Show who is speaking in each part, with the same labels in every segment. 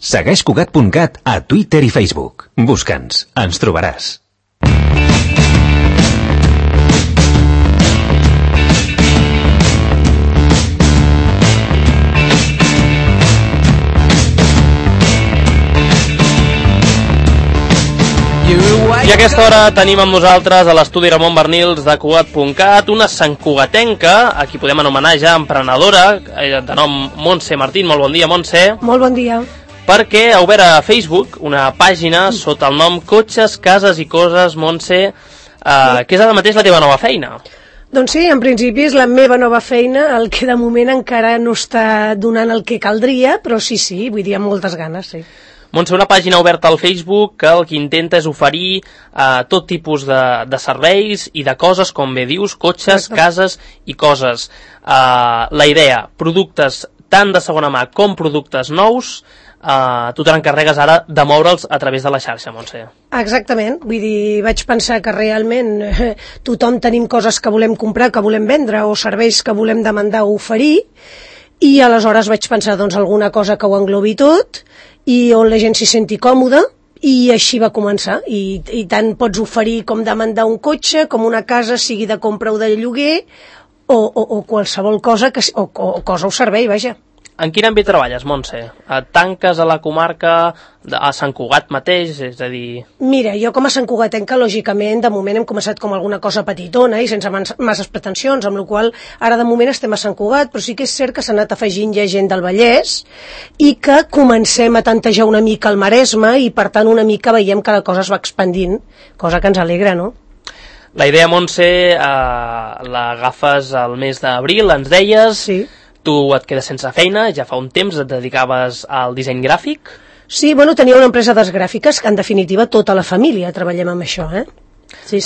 Speaker 1: Segueix Cugat.cat a Twitter i Facebook. Busca'ns, ens trobaràs.
Speaker 2: I a aquesta hora tenim amb nosaltres a l'estudi Ramon Bernils de Cugat.cat una santcugatenca, a qui podem anomenar ja emprenedora, de nom Montse Martín. Molt bon dia, Montse.
Speaker 3: Molt bon dia.
Speaker 2: Perquè ha obert a Facebook una pàgina sota el nom Cotxes, Cases i Coses, Montse, que és ara mateix la teva nova feina.
Speaker 3: Doncs sí, en principi és la meva nova feina, el que de moment encara no està donant el que caldria, però sí, vull dir, amb moltes ganes, sí.
Speaker 2: Montse, una pàgina oberta al Facebook que el que intenta és oferir tot tipus de serveis i de coses, com bé dius, cotxes, cases i coses. La idea, productes tant de segona mà com productes nous, tu te n'encarregues ara de moure'ls a través de la xarxa, Montse.
Speaker 3: Exactament, vull dir, vaig pensar que realment tothom tenim coses que volem comprar, que volem vendre, o serveis que volem demandar o oferir, i aleshores vaig pensar, doncs, alguna cosa que ho englobi tot, i on la gent s'hi senti còmoda, i així va començar. I tant pots oferir com demandar un cotxe, com una casa, sigui de compra o de lloguer, o qualsevol cosa, o cosa o servei, vaja.
Speaker 2: En quin àmbit treballes, Montse? Tanques a la comarca, a Sant Cugat mateix, és a dir...
Speaker 3: Mira, jo com a santcugatenca, lògicament, de moment hem començat com alguna cosa petitona i sense masses pretensions, amb la qual ara de moment estem a Sant Cugat, però sí que és cert que s'ha anat afegint ja gent del Vallès i que comencem a tantejar una mica el Maresme i, per tant, una mica veiem que la cosa es va expandint, cosa que ens alegra, no?
Speaker 2: La idea, Montse, l'agafes al mes d'abril, ens deies...
Speaker 3: Sí.
Speaker 2: Tu et quedes sense feina, ja fa un temps et dedicaves al disseny gràfic?
Speaker 3: Sí, bueno, tenia una empresa d'esgràfiques que en definitiva tota la família treballem amb això, Sí.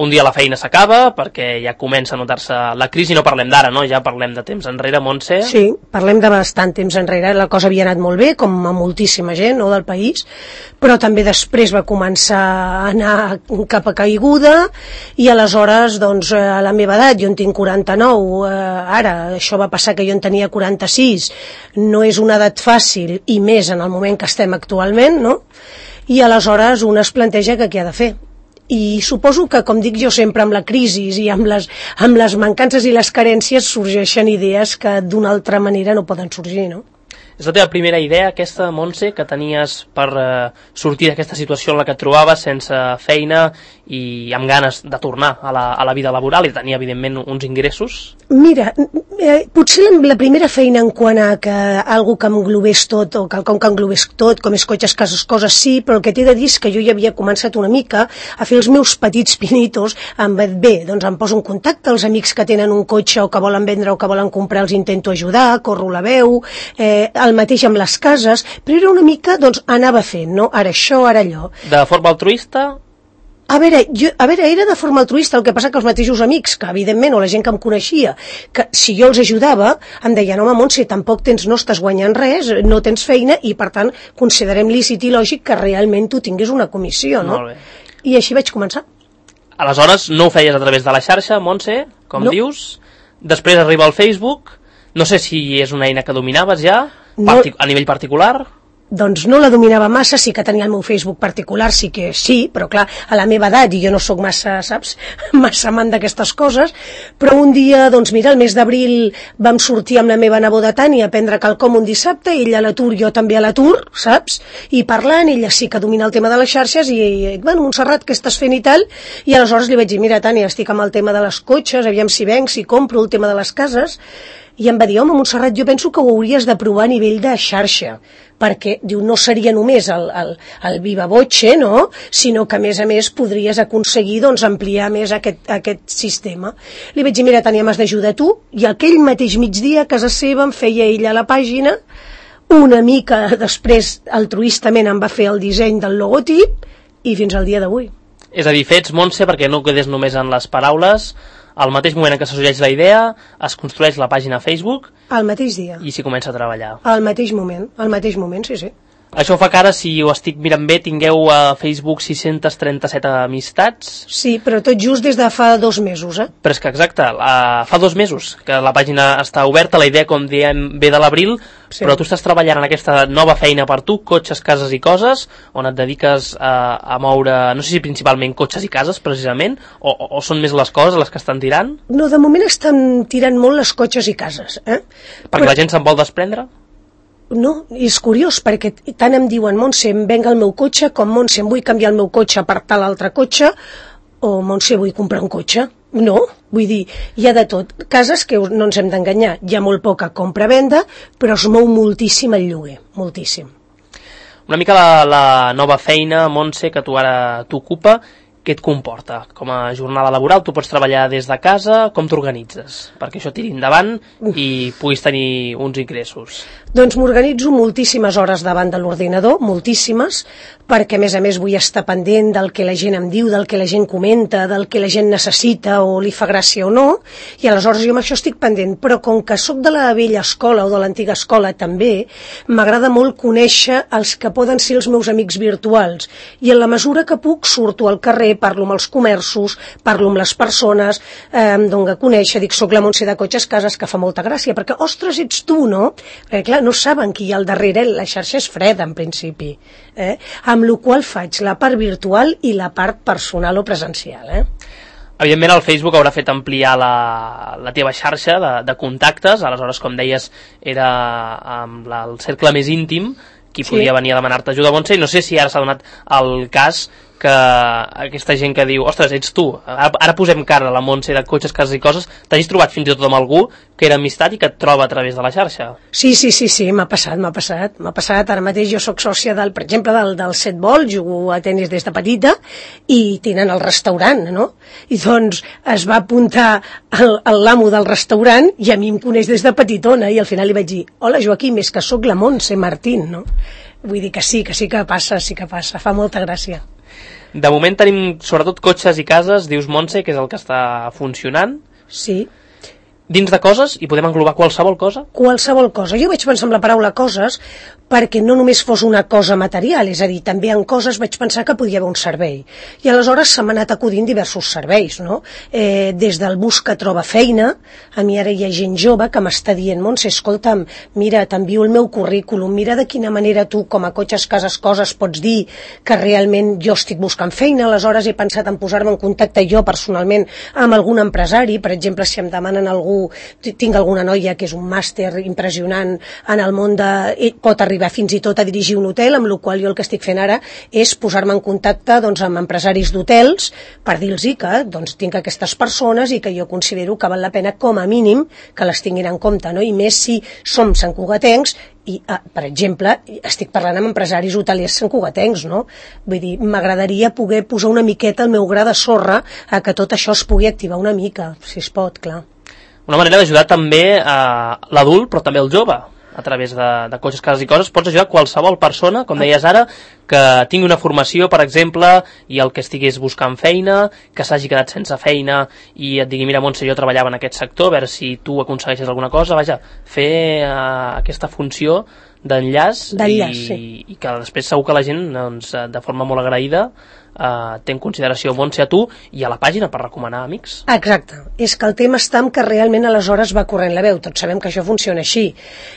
Speaker 2: Un dia la feina s'acaba perquè ja comença a notar-se la crisi, no parlem d'ara, no? Ja parlem de temps enrere, Montse.
Speaker 3: Sí, parlem de bastant temps enrere, la cosa havia anat molt bé, com a moltíssima gent, no, del país, però també després va començar a anar cap a caiguda i aleshores, doncs, a la meva edat, jo en tinc 49, ara, això va passar que jo en tenia 46, no és una edat fàcil i més en el moment que estem actualment, no? I aleshores un es planteja que què ha de fer. I suposo que, com dic jo sempre, amb la crisi i amb les mancances i les carències sorgeixen idees que d'una altra manera no poden sorgir, no?
Speaker 2: És la teva primera idea, aquesta, Montse, que tenies per sortir d'aquesta situació en la que et trobaves sense feina i amb ganes de tornar a la vida laboral i tenir, evidentment, uns ingressos?
Speaker 3: Mira, potser la primera feina en quant a que algú que englobés tot, o quelcom que englobés tot, com és cotxes, cases, coses, sí, però el que t'he de dir és que jo ja havia començat una mica a fer els meus petits pinitos amb, bé, doncs em poso en contacte els amics que tenen un cotxe o que volen vendre o que volen comprar, els intento ajudar, corro la veu, el mateix amb les cases, però era una mica, doncs, anava fent, no? Ara això, ara allò.
Speaker 2: De forma altruista?
Speaker 3: A veure, era de forma altruista, el que passa que els mateixos amics, que evidentment, o la gent que em coneixia, que si jo els ajudava, em deien, home, Montse, tampoc no estàs guanyant res, no tens feina, i per tant, considerem lícit i lògic que realment tu tinguis una comissió, no?
Speaker 2: Molt bé.
Speaker 3: I així vaig començar.
Speaker 2: Aleshores, no ho feies a través de la xarxa, Montse, com dius, després arriba al Facebook, no sé si és una eina que dominaves ja, a nivell particular?
Speaker 3: Doncs no la dominava massa, sí que tenia el meu Facebook particular, sí que sí, però clar, a la meva edat, i jo no sóc massa, saps, massa amant d'aquestes coses, però un dia, doncs mira, el mes d'abril vam sortir amb la meva neboda Tània a prendre quelcom un dissabte, ella a l'atur, jo també a l'atur, saps, i parlant, ella sí que domina el tema de les xarxes, i bueno, Montserrat, què estàs fent i tal, i aleshores li vaig dir, mira Tània, estic amb el tema de les cotxes, aviam si venc, si compro el tema de les cases, i em va dir, home, Montserrat, jo penso que ho hauries de provar a nivell de xarxa, perquè, diu, no seria només el viva voce, no?, sinó que, a més, podries aconseguir, doncs, ampliar més aquest sistema. Li vaig dir, mira, Tània, m'has d'ajudar tu, i aquell mateix migdia, a casa seva, em feia ella a la pàgina, una mica després, altruistament, em va fer el disseny del logotip, i fins al dia d'avui.
Speaker 2: És a dir, fets, Montse, perquè no quedés només en les paraules, al mateix moment en què s'assoleix la idea, es construeix la pàgina a Facebook...
Speaker 3: Al mateix dia.
Speaker 2: I s'hi comença a treballar.
Speaker 3: Al mateix moment, sí.
Speaker 2: Això fa que ara, si ho estic mirant bé, tingueu a Facebook 637 amistats.
Speaker 3: Sí, però tot just des de fa 2 mesos,
Speaker 2: Però és que exacte, fa 2 mesos que la pàgina està oberta, la idea, com diem, ve de l'abril,
Speaker 3: Sí.
Speaker 2: però tu estàs treballant en aquesta nova feina per tu, cotxes, cases i coses, on et dediques a moure, no sé si principalment cotxes i cases, precisament, o són més les coses les que estan tirant?
Speaker 3: No, de moment estan tirant molt les cotxes i cases,
Speaker 2: Perquè la gent se'n vol desprendre?
Speaker 3: No, és curiós, perquè tant em diuen Montse, em venga el meu cotxe, com Montse, em vull canviar el meu cotxe per tal altre cotxe, o Montse, vull comprar un cotxe. No, vull dir, hi ha de tot. Cases que no ens hem d'enganyar, hi ha molt poca compra-venda, però es mou moltíssim el lloguer, moltíssim.
Speaker 2: Una mica la nova feina, Montse, que tu ara t'ocupa, què et comporta? Com a jornada laboral, tu pots treballar des de casa, com t'organitzes? Perquè això tiri endavant i puguis tenir uns ingressos.
Speaker 3: Doncs m'organitzo moltíssimes hores davant de l'ordinador, moltíssimes, perquè a més vull estar pendent del que la gent em diu, del que la gent comenta, del que la gent necessita o li fa gràcia o no, i aleshores jo amb això estic pendent, però com que sóc de la vella escola o de l'antiga escola també, m'agrada molt conèixer els que poden ser els meus amics virtuals, i en la mesura que puc surto al carrer, parlo amb els comerços, parlo amb les persones, em dono a conèixer, dic, soc la Montse de Cotxes Cases, que fa molta gràcia, perquè, ostres, ets tu, no? Perquè, clar, no saben qui hi ha al darrere, la xarxa és freda, en principi. Amb la qual faig la part virtual i la part personal o presencial.
Speaker 2: Evidentment el Facebook haurà fet ampliar la teva xarxa de contactes, aleshores, com deies, era amb el cercle més íntim, qui podia venir a demanar-te ajuda, Montse, i no sé si ara s'ha donat el cas que aquesta gent que diu, ostres, ets tu, ara posem cara a la Montse de Cotxes, Cases i Coses, t'hagis trobat fins i tot amb algú que era amistat i que et troba a través de la xarxa?
Speaker 3: Sí, m'ha passat, ara mateix jo sóc sòcia per exemple, del Set Vol, jugo a tenis des de petita, i tenen el restaurant, no? I doncs es va apuntar l'amo del restaurant i a mi em coneix des de petitona, i al final li vaig dir, hola Joaquim, és que sóc la Montse Martín, no? Vull dir que sí que passa, fa molta gràcia.
Speaker 2: De moment tenim sobretot cotxes i cases, dius Montse, que és el que està funcionant.
Speaker 3: Sí.
Speaker 2: Dins de coses, i podem englobar qualsevol cosa?
Speaker 3: Qualsevol cosa. Jo vaig pensar en la paraula coses perquè no només fos una cosa material, és a dir, també en coses vaig pensar que podia haver un servei. I aleshores se m'ha anat acudint diversos serveis, no? Des del busca troba feina, a mi ara hi ha gent jove que m'està dient, Montse, escolta'm, mira, t'envio el meu currículum, mira de quina manera tu, com a Cotxes, Cases, Coses, pots dir que realment jo estic buscant feina, aleshores he pensat en posar-me en contacte jo personalment amb algun empresari, per exemple, si em demanen algú, tinc alguna noia que és un màster impressionant en el món pot arribar fins i tot a dirigir un hotel, amb la qual jo el que estic fent ara és posar-me en contacte amb empresaris d'hotels per dir-los que tinc aquestes persones i que jo considero que val la pena com a mínim que les tinguin en compte, no? I més si som santcugatencs i, per exemple, estic parlant amb empresaris hotelers santcugatencs, no? Vull dir, m'agradaria poder posar una miqueta el meu gra de sorra a que tot això es pugui activar una mica, si es pot, clar.
Speaker 2: Una manera d'ajudar també a l'adult, però també al jove, a través de Cotxes, Cases i Coses. Pots ajudar qualsevol persona, com deies ara, que tingui una formació, per exemple, i el que estigués buscant feina, que s'hagi quedat sense feina i et digui, mira, Montse, jo treballava en aquest sector, a veure si tu aconsegueixes alguna cosa. Vaja, fer aquesta funció d'enllaç i que després segur que la gent, de forma molt agraïda, té en consideració Montse a tu i a la pàgina per recomanar amics.
Speaker 3: Exacte, és que el tema està en que realment aleshores va corrent la veu, tots sabem que això funciona així,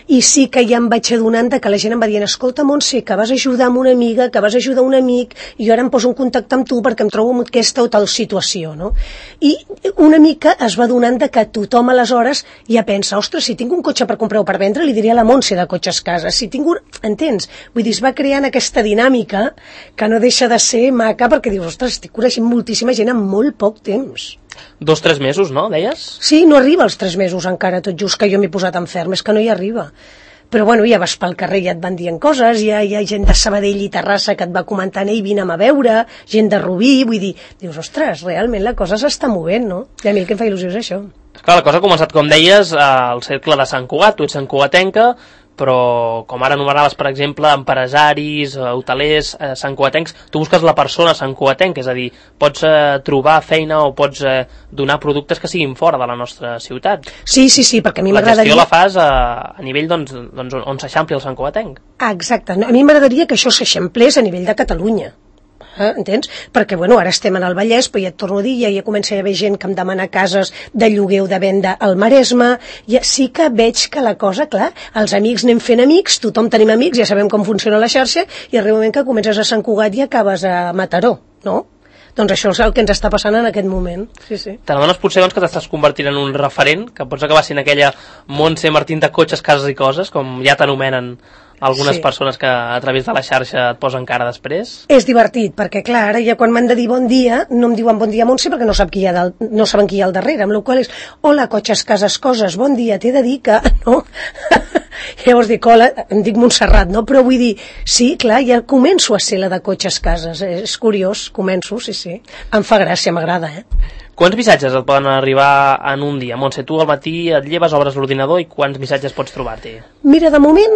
Speaker 3: i sí que ja em vaig adonant que la gent em va dient, escolta Montse, que vas ajudar amb una amiga, que vas ajudar un amic, i jo ara em poso en contacte amb tu perquè em trobo en aquesta o tal situació, no? I una mica es va adonant que tothom aleshores ja pensa, ostres, si tinc un cotxe per comprar o per vendre, li diria a la Montse de Cotxes Cases, si tinc un... Entens? Vull dir, es va creant aquesta dinàmica que no deixa de ser maca perquè dius, ostres, estic coneixent moltíssima gent en molt poc temps.
Speaker 2: 2-3 mesos, no, deies?
Speaker 3: Sí, no arriba als 3 mesos encara, tot just que jo m'he posat enferm, és que no hi arriba. Però bueno, ja vas pel carrer i et van dient coses, hi ha gent de Sabadell i Terrassa que et va comentant, ei, vine a veure, gent de Rubí, vull dir, dius, ostres, realment la cosa s'està movent, no? I a mi el que em fa il·lusió és això.
Speaker 2: Esclar, la cosa ha començat, com deies, al cercle de Sant Cugat, tu ets santcugatenca, però com ara anomenaves, per exemple, empresaris, hotelers, santcugatencs, tu busques la persona santcugatenca, és a dir, pots trobar feina o pots donar productes que siguin fora de la nostra ciutat.
Speaker 3: Sí, perquè a mi m'agradaria...
Speaker 2: La gestió la fas a nivell on s'eixampli el santcugatenc.
Speaker 3: Exacte, a mi m'agradaria que això s'eixamplés a nivell de Catalunya. Entens? Perquè, ara estem en el Vallès, però ja et torno a dir, ja comença a haver gent que em demana cases de lloguer o de venda al Maresme, ja sí que veig que la cosa, clar, els amics anem fent amics, tothom tenim amics, ja sabem com funciona la xarxa, i arriba un moment que comences a Sant Cugat i acabes a Mataró, no? Doncs això és el que ens està passant en aquest moment. Sí.
Speaker 2: Te n'adones potser que t'estàs convertint en un referent, que pots acabar sent aquella Montse Martín de cotxes, cases i coses, com ja t'anomenen algunes persones que a través de la xarxa et posen cara després? És
Speaker 3: divertit, perquè clar, ara ja quan m'han de dir bon dia, no em diuen bon dia Montse perquè no saben qui hi ha al darrere, amb la qual és, hola, cotxes, cases, coses, bon dia, t'he de dir que, no? Llavors dic, hola, em dic Montserrat, no? Però vull dir, sí, clar, ja començo a ser la de cotxes, cases, és curiós, començo, sí. Em fa gràcia, m'agrada,
Speaker 2: Quants missatges et poden arribar en un dia? Montse, tu al matí et lleves, obres l'ordinador i quants missatges pots trobar-t'hi?
Speaker 3: Mira, de moment,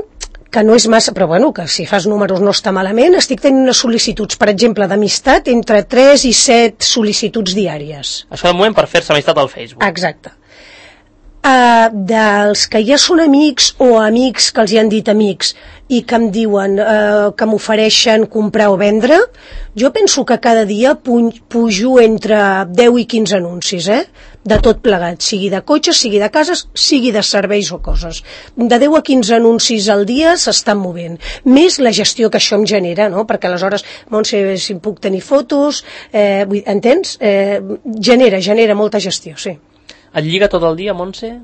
Speaker 3: que no és massa, però que si fas números no està malament, estic tenint unes sol·licituds, per exemple, d'amistat, entre 3 i 7 sol·licituds diàries.
Speaker 2: Això de moment per fer-se amistat al Facebook.
Speaker 3: Exacte. Dels que ja són amics o amics que els hi han dit amics i que em diuen que m'ofereixen comprar o vendre, jo penso que cada dia pujo entre 10 i 15 anuncis, de tot plegat, sigui de cotxes, sigui de cases, sigui de serveis o coses. De 10 a 15 anuncis al dia s'estan movent. Més la gestió que això em genera, no? Perquè aleshores, Montse, si puc tenir fotos, entens? Genera molta gestió, sí.
Speaker 2: Et lliga tot el dia, Montse?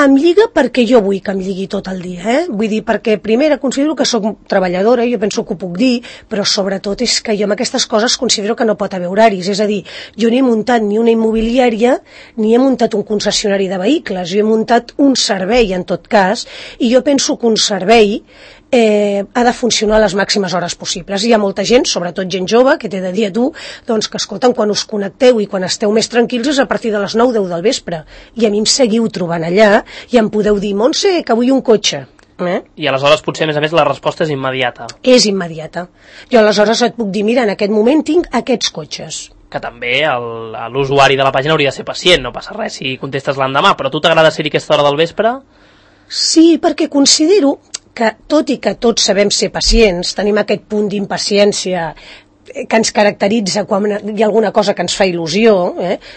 Speaker 3: Em lliga perquè jo vull que em lligui tot el dia, Vull dir, perquè primera considero que sóc treballadora, jo penso que ho puc dir, però sobretot és que jo amb aquestes coses considero que no pot haver horaris, és a dir, jo no he muntat ni una immobiliària, ni he muntat un concessionari de vehicles, jo he muntat un servei en tot cas, i jo penso que un servei ha de funcionar a les màximes hores possibles. Hi ha molta gent, sobretot gent jove, que t'he de dir a tu, doncs que escolten, quan us connecteu i quan esteu més tranquils és a partir de les 9-10 del vespre. I a mi em seguiu trobant allà i em podeu dir, Montse, que vull un cotxe.
Speaker 2: I aleshores potser, a més, la resposta és immediata.
Speaker 3: És immediata. Jo aleshores et puc dir, mira, en aquest moment tinc aquests cotxes.
Speaker 2: Que també l'usuari de la pàgina hauria de ser pacient, no passa res si contestes l'endemà, però a tu t'agrada ser-hi aquesta hora del vespre?
Speaker 3: Sí, perquè considero que, tot i que tots sabem ser pacients, tenim aquest punt d'impaciència que ens caracteritza quan hi ha alguna cosa que ens fa il·lusió,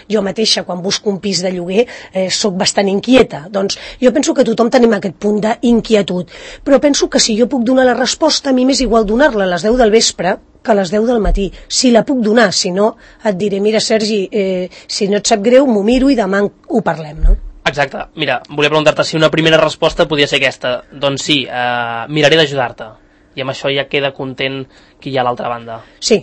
Speaker 3: jo mateixa quan busco un pis de lloguer sóc bastant inquieta, doncs jo penso que tothom tenim aquest punt d'inquietud, però penso que si jo puc donar la resposta, a mi m'és igual donar-la a les 10 del vespre que a les 10 del matí, si la puc donar, si no et diré, mira Sergi, si no et sap greu m'ho miro i demà ho parlem, no?
Speaker 2: Exacte. Mira, volia preguntar-te si una primera resposta podia ser aquesta. Doncs sí, miraré d'ajudar-te. I amb això ja queda content qui hi ha a l'altra banda.
Speaker 3: Sí,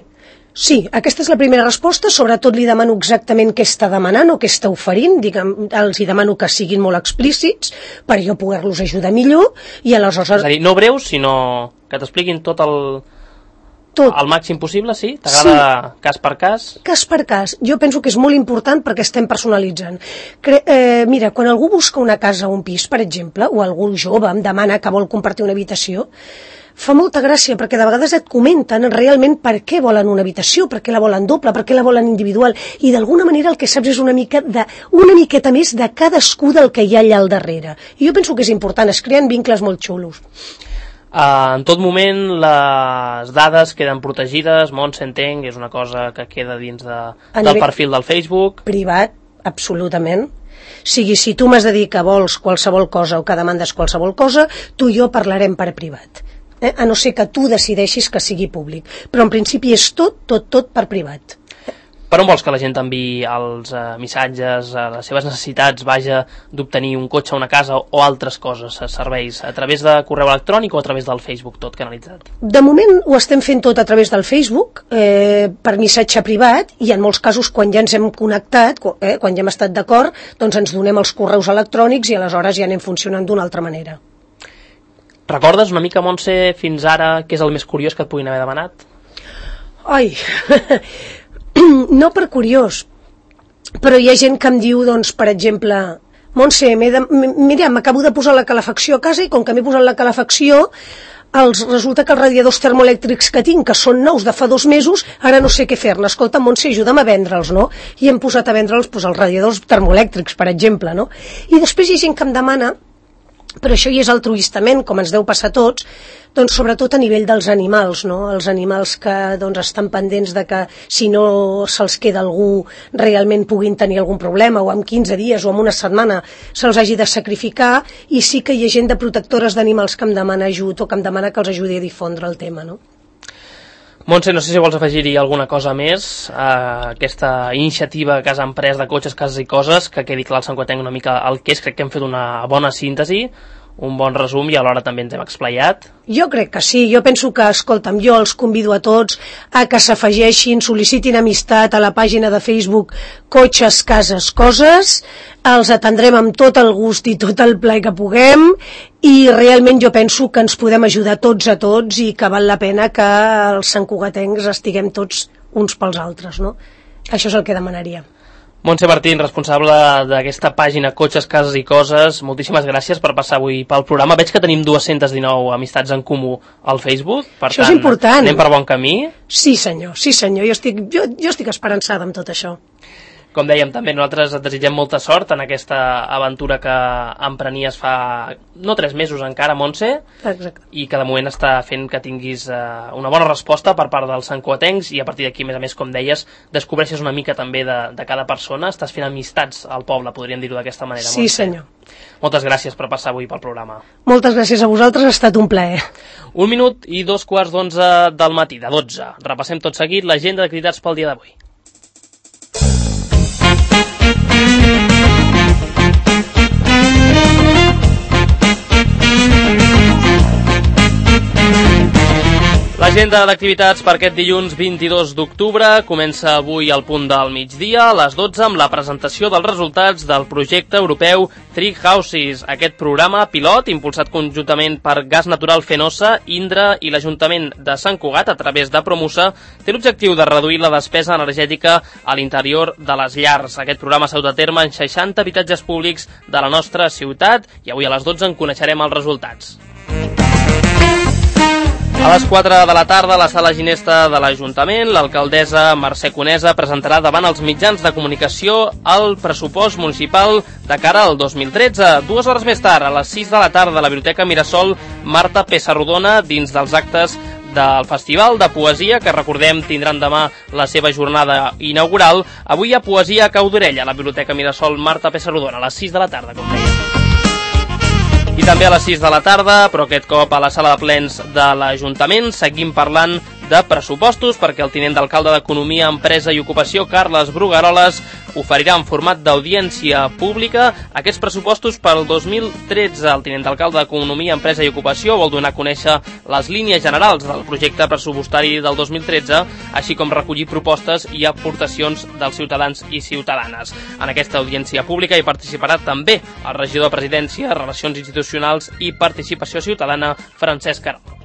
Speaker 3: aquesta és la primera resposta, sobretot li demano exactament què està demanant o què està oferint, els hi demano que siguin molt explícits per jo poder-los ajudar millor i aleshores...
Speaker 2: És a dir, no breus, sinó que t'expliquin tot al màxim possible, sí? T'agrada cas per cas?
Speaker 3: Cas per cas. Jo penso que és molt important perquè estem personalitzant. Mira, quan algú busca una casa o un pis, per exemple, o algú jove em demana que vol compartir una habitació, fa molta gràcia perquè de vegades et comenten realment per què volen una habitació, per què la volen doble, per què la volen individual, i d'alguna manera el que saps és una miqueta més de cadascú del que hi ha allà al darrere. I jo penso que és important, es creen vincles molt xulos.
Speaker 2: En tot moment les dades queden protegides, Montse, entenc, és una cosa que queda dins del perfil del Facebook.
Speaker 3: Privat, absolutament. Sigui, si tu m'has de dir que vols qualsevol cosa o que demandes qualsevol cosa, tu i jo parlarem per privat. A no ser que tu decideixis que sigui públic. Però en principi és tot per privat.
Speaker 2: Per on vols que la gent t'enviï els missatges, les seves necessitats, vaja, d'obtenir un cotxe, una casa o altres coses, serveis, a través de correu electrònic o a través del Facebook, tot canalitzat?
Speaker 3: De moment ho estem fent tot a través del Facebook, per missatge privat, i en molts casos quan ja ens hem connectat, quan ja hem estat d'acord, doncs ens donem els correus electrònics i aleshores ja anem funcionant d'una altra manera.
Speaker 2: Recordes una mica, Montse, fins ara, què és el més curiós que et puguin haver demanat?
Speaker 3: Ai... No per curiós, però hi ha gent que em diu, doncs, per exemple, Montse, mira, m'acabo de posar la calefacció a casa i com que m'he posat la calefacció, resulta que els radiadors termoelèctrics que tinc, que són nous de fa 2 mesos, ara no sé què fer-ne. Escolta, Montse, ajuda'm a vendre'ls, no? I hem posat a vendre'ls els radiadors termoelèctrics, per exemple, no? I després hi ha gent que em demana, però això hi és altruistament, com ens deu passar a tots, doncs sobretot a nivell dels animals, no? Els animals que doncs, estan pendents de que si no se'ls queda algú realment puguin tenir algun problema, o en 15 dies o en una setmana se'ls hagi de sacrificar, i sí que hi ha gent de protectores d'animals que em demana ajut o que em demana que els ajudi a difondre el tema, no?
Speaker 2: Montse, no sé si vols afegir-hi alguna cosa més a aquesta iniciativa que has emprès de cotxes, cases i coses, que quedi clar al Santcugatenc una mica el que és. Crec que hem fet una bona síntesi, un bon resum i alhora també ens hem explayat.
Speaker 3: Jo crec que sí, jo penso que, escolta'm, jo els convido a tots a que s'afegeixin, sol·licitin amistat a la pàgina de Facebook Cotxes, Cases, Coses, els atendrem amb tot el gust i tot el plaer que puguem, i realment jo penso que ens podem ajudar tots a tots i que val la pena que els santcugatencs estiguem tots uns pels altres, no? Això és el que demanaria.
Speaker 2: Montse Martín, responsable d'aquesta pàgina Cotxes, Cases i Coses, moltíssimes gràcies per passar avui pel programa. Veig que tenim 219 amistats en comú al Facebook, per
Speaker 3: això
Speaker 2: tant,
Speaker 3: és important.
Speaker 2: Anem per bon camí.
Speaker 3: Sí senyor, jo estic esperançada amb tot això.
Speaker 2: Com dèiem, també nosaltres et desitgem molta sort en aquesta aventura que emprenies fa no 3 mesos encara, Montse.
Speaker 3: Exacte.
Speaker 2: I que de moment està fent que tinguis una bona resposta per part dels santcugatencs, i a partir d'aquí, a més, com deies, descobreixes una mica també de cada persona, estàs fent amistats al poble, podríem dir-ho d'aquesta manera.
Speaker 3: Sí,
Speaker 2: Montse.
Speaker 3: senyor.
Speaker 2: Moltes gràcies per passar avui pel programa.
Speaker 3: Moltes gràcies a vosaltres, ha estat un plaer.
Speaker 2: 1 minut i 2:15 del matí, de 12. Repassem tot seguit l'agenda d'activitats pel dia d'avui. L'agenda d'activitats per aquest dilluns 22 d'octubre comença avui al punt del migdia, a les 12, amb la presentació dels resultats del projecte europeu Tree Houses. Aquest programa pilot, impulsat conjuntament per Gas Natural Fenosa, Indra i l'Ajuntament de Sant Cugat a través de Promusa, té l'objectiu de reduir la despesa energètica a l'interior de les llars. Aquest programa s'ha dut a terme en 60 habitatges públics de la nostra ciutat i avui a les 12 en coneixerem els resultats. A les 4 de la tarda, a la sala ginesta de l'Ajuntament, l'alcaldessa Mercè Conesa presentarà davant els mitjans de comunicació el pressupost municipal de cara al 2013. 2 hores més tard, a les 6 de la tarda, a la Biblioteca Mirasol, Marta Pessarrodona, dins dels actes del Festival de Poesia, que recordem tindran demà la seva jornada inaugural. Avui hi ha poesia a cau d'orella a la Biblioteca Mirasol Marta Pessarrodona, a les 6 de la tarda, com dèiem. I també a les 6 de la tarda, però aquest cop a la sala de plens de l'Ajuntament, seguim parlant de pressupostos, perquè el tinent d'alcalde d'Economia, Empresa i Ocupació, Carles Brugueroles, oferirà en format d'audiència pública aquests pressupostos per al 2013. El tinent d'alcalde d'Economia, Empresa i Ocupació vol donar a conèixer les línies generals del projecte pressupostari del 2013, així com recollir propostes i aportacions dels ciutadans i ciutadanes. En aquesta audiència pública hi participarà també el regidor de Presidència, Relacions Institucionals i Participació Ciutadana, Francesc Aró.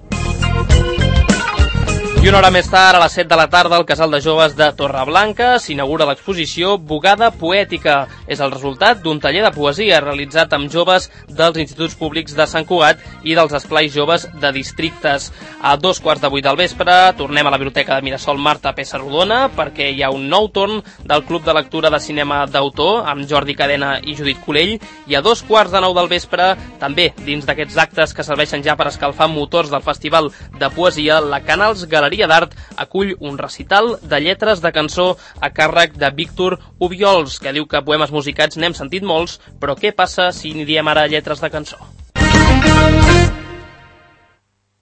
Speaker 2: I una hora més tard, a les 7 de la tarda, al Casal de Joves de Torreblanca s'inaugura l'exposició Bugada Poètica. És el resultat d'un taller de poesia realitzat amb joves dels instituts públics de Sant Cugat i dels esplais joves de districtes. A 2:15 del vespre tornem a la Biblioteca de Mirasol Marta Pessarrodona perquè hi ha un nou torn del Club de Lectura de Cinema d'Autor amb Jordi Cadena i Judit Colell, i a 2:15 del vespre, també dins d'aquests actes que serveixen ja per escalfar motors del Festival de Poesia, la Canals Galeria d'Art acull un recital de lletres de cançó a càrrec de Víctor Ubiols, que diu que poemes musicats n'hem sentit molts, però què passa si n'hi diem ara lletres de cançó?